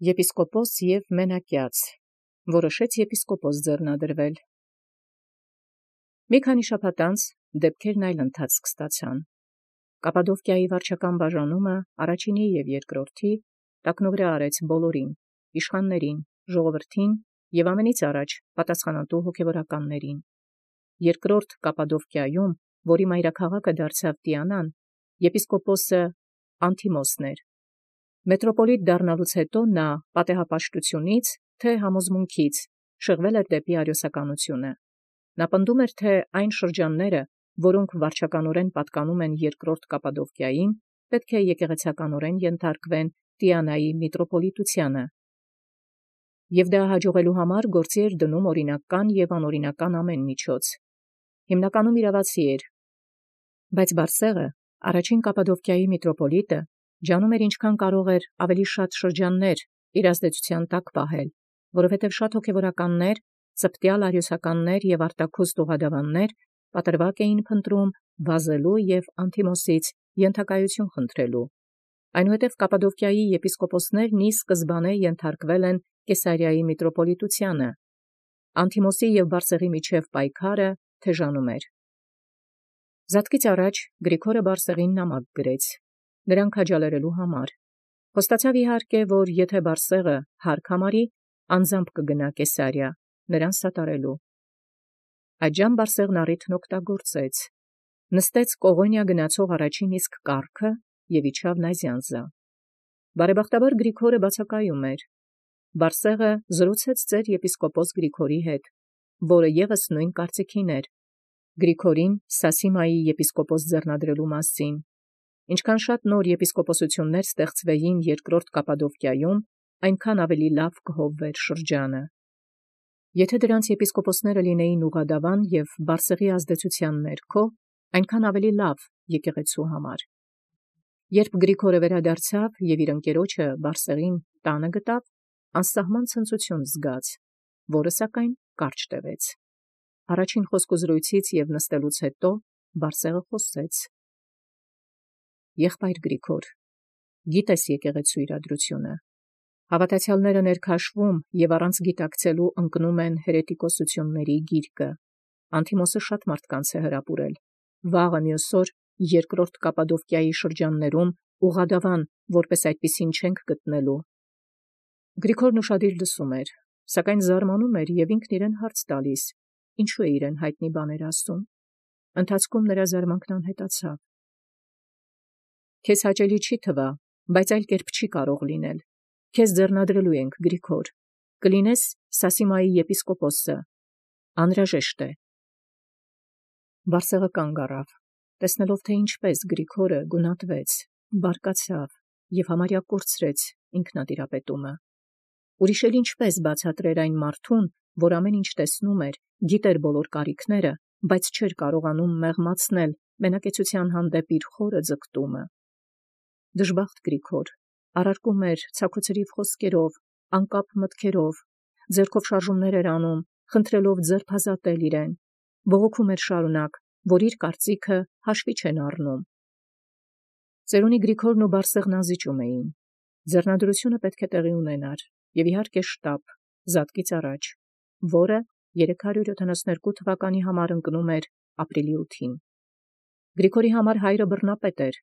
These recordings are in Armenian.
Եպիսկոպոս և մենակյաց, որոշեց եպիսկոպոս ձեռնադրվել։ Մի քանի շաբաթ անց դեպքերն այլ ընթացք ստացան։ Կապադովկիայի վարչական բաժանումը առաջինի և երկրորդի տակնուվրա արեց բոլորին, իշխաններին, ժողովրդին և ամենից առաջ պատասխանատու հոգևորականներին։ Երկրորդ Կապադովկիայում, որի մայրաքաղաքը դարձավ Տիանան, եպիսկոպոսը Անթիմոսն էր։ Մետրոպոլիտ դառնալուց հետո նա պատեհապաշտությունից, թե համոզմունքից շեղվել էր դեպի արիոսականությունը։ Նա պնդում էր, թե այն շրջանները, որոնք վարչականորեն պատկանում են երկրորդ Կապադովկիային, պետք է եկեղեցականորեն ենթարկվեն Տիանայի միտրոպոլիտությանը։ Եվ դա հաջողելու համար գործի էր դնում օրինական և անօրինական ամեն միջոց։ Հիմնականում իրավացի էր, բայց Բարսեղը, առաջին Կապադովկիայի միտրոպոլիտը, ջանում էր ինչքան կարող էր ավելի շատ շրջաններ իր ազդեցության տակ պահել, որովհետև շատ հոգևորականներ, ծպտյալ արիոսականներ և արտաքուստ ուղղադավաններ պատրվակ էին փնտրում վազելու և Անթիմոսից ենթակայություն խնդրելու։ Այնուհետև Կապադովկիայի եպիսկոպոսներն ի սկզբանե ենթարկվել են Կեսարիայի միտրոպոլիտությանը։ Անթիմոսի և Բարսեղի միջև պայքարը թեժանում էր։ Զատկից առաջ Գրիգորը Բարսեղին նամակ գրեց, նրան քաջալերելու համար։ Խոստացավ իհարկե, որ եթե Բարսեղը հարկ համարի, անձամբ կգնա Կեսարիա, նրան սատարելու։ Այդժամ Բարսեղն առիթն օգտագործեց, նստեց Կողոնիա գնացող առաջին իսկ կառքը և իջավ Նազյանզա։ Բարեբախտաբար Գրիգորը բացակայում էր։ Բարսեղը զրուցեց ծեր եպիսկոպոս Գրիգորի հետ, որը ևս նույն կարծիքին էր, Գրիգորին Սասիմայի եպիսկոպոս ձեռնադրելու մասին։ Ինչքան շատ նոր եպիսկոպոսություններ ստեղծվեին երկրորդ Կապադովկիայում, այնքան ավելի լավ կհովվեր շրջանը։ Եթե դրանց եպիսկոպոսները լինեին ուղղադավան և Բարսեղի ազդեցության ներքո, այնքան ավելի լավ եկեղեցու համար։ Երբ Գրիգորը վերադարձավ և իր ընկերոջը Բարսեղին տանը գտավ, անսահման ցնծություն զգաց, որը սակայն կարճ տևեց։ Առաջին խոսքուզրույցից և նստելուց հետո Բարսեղը խոսեց. «Եղբայր Գրիգոր, գիտես եկեղեցու իրադրությունը։ Հավատացյալները ներքաշվում և առանց գիտակցելու ընկնում են հերետիկոսությունների գիրկը։ Անթիմոսը շատ մարդկանց է հրապուրել։ Վաղը մյուս օր երկրորդ Կապադովկիայի շրջաններում ուղղադավան որպես այդպիսին չենք գտնելու»։ Գրիգորն ուշադիր լսում էր, սակայն զարմանում էր և ինքն իրեն հարց տալիս, ինչու է իրեն հայտնի բաներ ասում։ Ընթացքում նրա զարմանքն անհետացավ։ «Քեզ հաճելի չի թվա, բայց այլ կերպ չի կարող լինել։ Քեզ ձեռնադրելու ենք, Գրիգոր, կլինես Սասիմայի եպիսկոպոսը։ Անհրաժեշտ է»։ Բարսեղը կանգ առավ, տեսնելով, թե ինչպես Գրիգորը գունատվեց, բարկացավ և համարյա կորցրեց ինքնատիրապետումը։ Ուրիշ էլ ինչպես բացատրեր այն մարդուն, որ ամեն ինչ տեսնում էր, գիտեր բոլոր կարիքները, բայց չէր կարողանում մեղմացնել մենակեցության հանդեպ իր խորը ձգտումը։ Դժբախտ Գրիգոր առարկում էր ցաքոցրիվ խոսքերով, անկապ մտքերով, ձեռքով շարժումներ էր անում, խնդրելով ձերբազատել իրեն, բողոքում էր շարունակ, որ իր կարծիքը հաշվի չեն առնում։ Ծերունի Գրիգորն ու Բարսեղն անզիջում էին։ Ձեռնադրությունը պետք է տեղի ունենար, և իհարկե շտապ, զատկից առաջ, որը 372 թվականի համար ընկնում էր ապրիլի 8-ին։ Գրիգորի համար հայրը բռնապետ էր,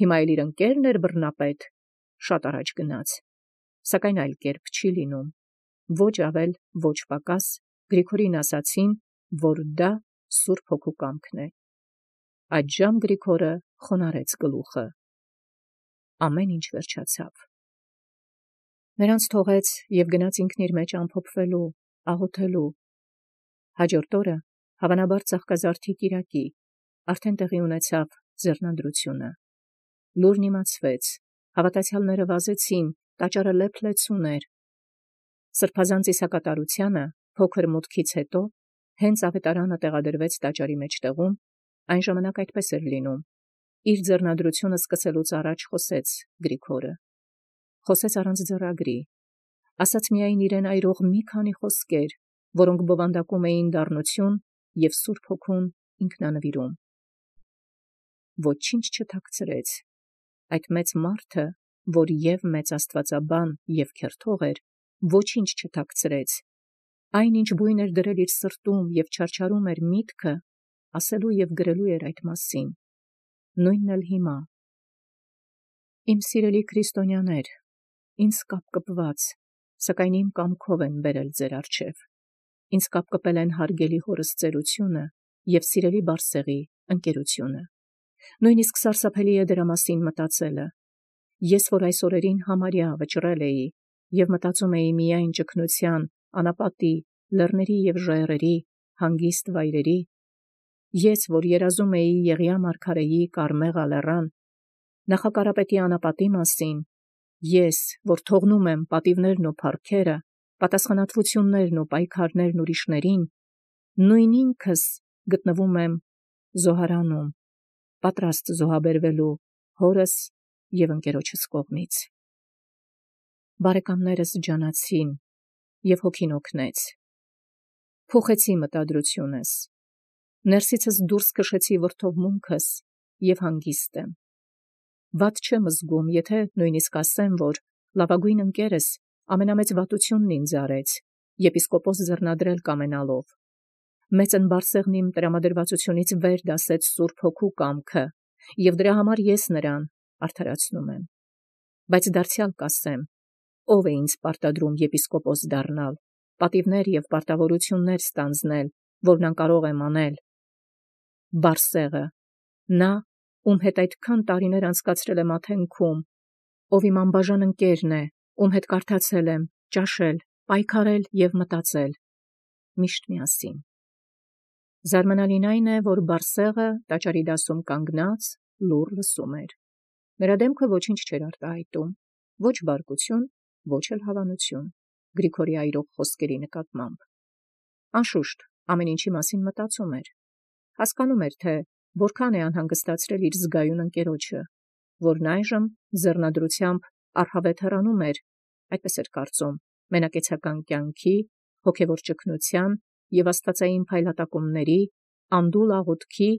հիմա էլ իր ընկերն էր բռնապետ, շատ առաջ գնաց։ Սակայն այլ կերպ չի լինում։ Ոչ ավել, ոչ պակաս Գրիգորին ասացին, որ դա Սուրբ Հոգու կամքն է։ Այդժամ Գրիգորը խոնարհեց գլուխը։ Ամեն ինչ վերջացավ։ Նրանց թողեց և գնաց ինքն իր մեջ ամփոփվելու, աղոթելու։ Հաջորդ օրը, հավանաբար Ծաղկազարդի կիրակի, արդեն տեղի ունեցավ ձեռնադրությունը։ Լուրն իմացվեց, հավատացյալները վազեցին, տաճարը լեփ-լեցուն էր։ Սրբազան ծիսակատարությանը փոքր մուտքից հետո, հենց ավետարանը տեղադրվեց տաճարի մեջտեղում, այն ժամանակ այդպես էր լինում։ Իր ձեռնադրությունը սկսելուց առաջ խոսեց Գրիգորը։ Խոսեց առանց ձեռագրի, ասաց միայն իրեն այրող մի քանի խոսքեր, որոնք բովանդակում էին դառնություն և Սուրբ Հոգուն ինքնանվիրում։ Ոչինչ չթաքցրեց։ Այդ մեծ մարդը որ և մեծ աստվածաբան և քերթող էր, ոչինչ չթաքցրեց, այն ինչ բույն էր դրել իր սրտում և չարչարում էր միտքը, ասելու և գրելու էր այդ մասին, նույնն էլ հիմա։ Իմ սիրելի քրիստոնյաներ, ինձ կապկպված, սակայն իմ կամքով են բերել ձեր առջև, ինձ կապկպել են հարգելի հորս ծերությունը և սիրելի Բարսեղի ընկերությունը, նույնիսկ սարսափելի է դրա մասին մտածելը, ես, որ այս օրերին համարյա վճռել էի և մտածում էի միայն ճգնության, անապատի, լեռների և ժայռերի, հանգիստ վայրերի, ես, որ երազում էի Եղիա մարգարեի Կարմեղ լեռան, նախակարապետի անապատի մասին, ես, որ թողնում եմ պատիվներն ու փառքերը, պատասխանատվություններն ու պայքարներն ուրիշներին, նույն ինքս գտնվում եմ զոհարանում, պատրաստ զոհաբերվելու հորս և ընկերոջս կողմից։ Բարեկամներս ջանացին և հոգին օգնեց, փոխեցի մտադրությունս, ներսիցս դուրս քշեցի վրդովմունքս և հանգիստ եմ։ Վատ չեմ զգում, եթե նույնիսկ ասեմ, որ լավագույն ընկերս ամենամեծ վատությունն ինձ արեց, եպիսկոպոս ձեռնադրել կամենալով։ Մեծն Բարսեղն իմ տրամադրվածությունից վեր դասեց Սուրբ Հոգու կամքը, և դրա համար ես նրան արդարացնում եմ։ Բայց դարձյալ կասեմ, ով է ինձ պարտադրում եպիսկոպոս դառնալ, պատիվներ և պարտավորություններ ստանձնել, որն անկարող եմ անել։ Բարսեղը, նա, ում հետ այդքան տարիներ անցկացրել եմ Աթենքում, ով իմ անբաժան ընկերն է, ում հետ կարդացել եմ, ճաշել, պայքարել և մտածել, միշտ միասին։ Զարմանալին այն է, որ Բարսեղը տաճարի դասում կանգնած լուռ լսում էր։ Նրա դեմքը ոչինչ չէր արտահայտում, ոչ բարկություն, ոչ էլ հավանություն Գրիգորի այրող խոսքերի նկատմամբ։ Անշուշտ, ամեն ինչի մասին մտածում էր, հասկանում էր, թե որքան է անհանգստացրել իր զգայուն ընկերոջը, որն այժմ ձեռնադրությամբ առհավետ հեռանում էր, այդպես էր կարծում, մենակեցական կյանքի, հոգևոր ճգնության և աստվածային փայլատակումների, անդուլ աղոթքի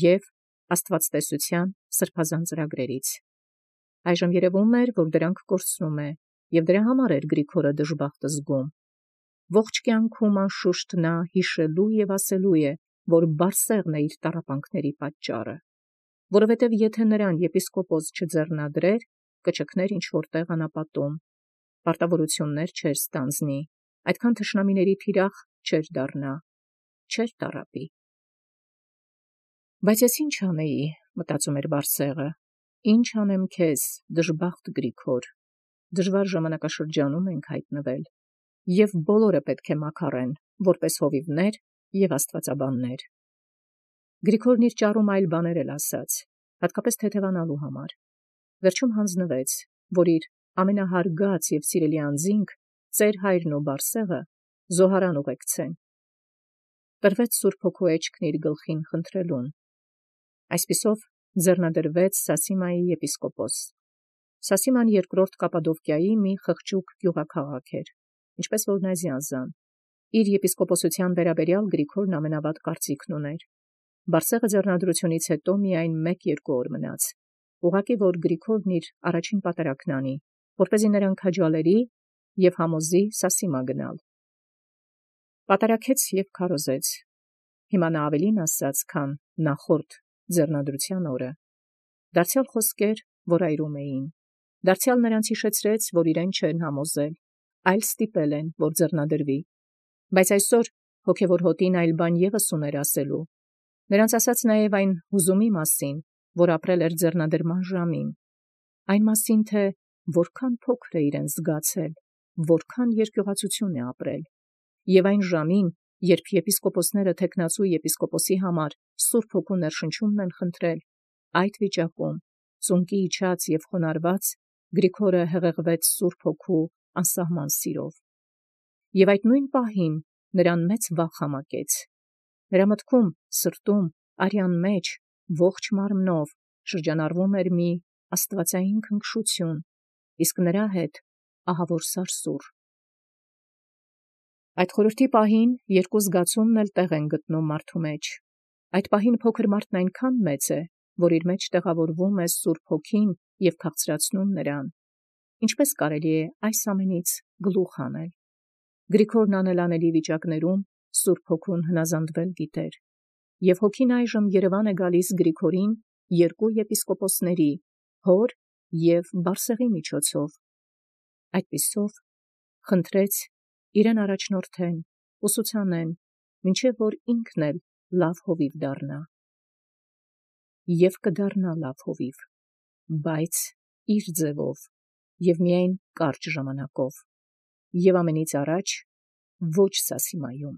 և աստվածտեսության սրբազան ծրագրերից։ Այժմ երևում էր, որ դրանք կորցնում է, և դրա համար էր Գրիգորը դժբախտ զգում։ Ողջ կյանքում անշուշտ նա հիշելու և ասելու է, որ Բարսեղն է իր տառապանքների պատճառը, որովհետև եթե նրան եպիսկոպոս չձեռնադրեր, կճգներ ինչ-որ տեղ անապատում, պարտավորություններ չէր ստանձնի, այդքան թշնամիների թիրախ չէր դառնա, չէր տառապի։ Բայց ես ինչ անեի, մտածում էր Բարսեղը, ինչ անեմ քեզ, դժբախտ Գրիգոր, դժվար ժամանակաշրջանում ենք հայտնվել, և բոլորը պետք է մաքարեն, որպես հովիվներ և աստվածաբաններ։ Գրիգորն իր ճառում այլ բաներ էլ ասաց, հատկապես թեթևանալու համար։ Վերջում հանձնվեց, որ իր ամենահարգած և սիրելի անձինք, ծեր հայրն ու Բարսեղը, զոհարան ուղեկցեն։ Տրվեց Սուրբ Հոգու էջքն իր գլխին խնդրելուն։ Այսպիսով ձեռնադրվեց Սասիմայի եպիսկոպոս։ Սասիման երկրորդ Կապադովկիայի մի խղճուկ գյուղաքաղաք էր, ինչպես որ Նազիանզան։ Իր եպիսկոպոսության վերաբերյալ Գրիգորն ամենավատ կարծիքն ուներ։ Բարսեղը ձեռնադրությունից հետո միայն 1-2 օր մնաց, ուղղակի որ Գրիգորն իր առաջին պատարագն անի, որպեսզի նրան քաջալերի և համոզի Սասիմա գնալ։ Պատարագեց և քարոզեց։ Հիմա նա ավելին ասաց, քան նախորդ ձեռնադրության օրը։ Դարձյալ խոսքեր, որ այրում էին։ Դարձյալ նրանց հիշեցրեց, որ իրեն չեն համոզել, այլ ստիպել են, որ ձեռնադրվի։ Բայց այսօր հոգևոր հոտին այլ բան ևս ուներ ասելու։ Նրանց ասաց նաև այն հուզումի մասին, որ ապրել էր ձեռնադրման ժամին, այն մասին, թե որքան փոքր է իրեն զգացել, որքան երկյուղացություն է ապրել, և այն ժամին, երբ եպիսկոպոսները թեկնածու եպիսկոպոսի համար Սուրբ Հոգու ներշնչումն են խնդրել, այդ վիճակում, ծունկի իջած և խոնարհված, Գրիգորը հեղեղվեց Սուրբ Հոգու անսահման սիրով։ Եվ այդ նույն պահին նրան մեծ վախ համակեց։ Նրա մտքում, սրտում, արյան մեջ, ողջ մարմնով շրջանառվում էր մի աստվածային քնքշություն, իսկ նրա հետ ահավոր սարսուռ։ Այդ խորհրդի պահին երկու զգացումն էլ տեղ են գտնում մարդու մեջ։ Այդ պահին փոքր մարդն այնքան մեծ է, որ իր մեջ տեղավորվում է Սուրբ Հոգին և քաղցրացնում նրան, ինչպես կարելի է այս ամենից գլուխ հանել։ Գրիգորն անելանելի վիճակներում Սուրբ Հոգուն հնազանդվել գիտեր, և Հոգին այժմ Երևան է գալիս Գրիգորին երկու եպիսկոպոսների՝ հոր և Բարսեղի միջոցով։ Այդպիսով խնդրեց իրեն առաջնորդեն, ուսուցանեն, մինչև որ ինքն էլ լավ հովիվ դառնա։ Եվ կդառնա լավ հովիվ, բայց իր ձևով և միայն կարճ ժամանակով, և ամենից առաջ ոչ Սասիմայում։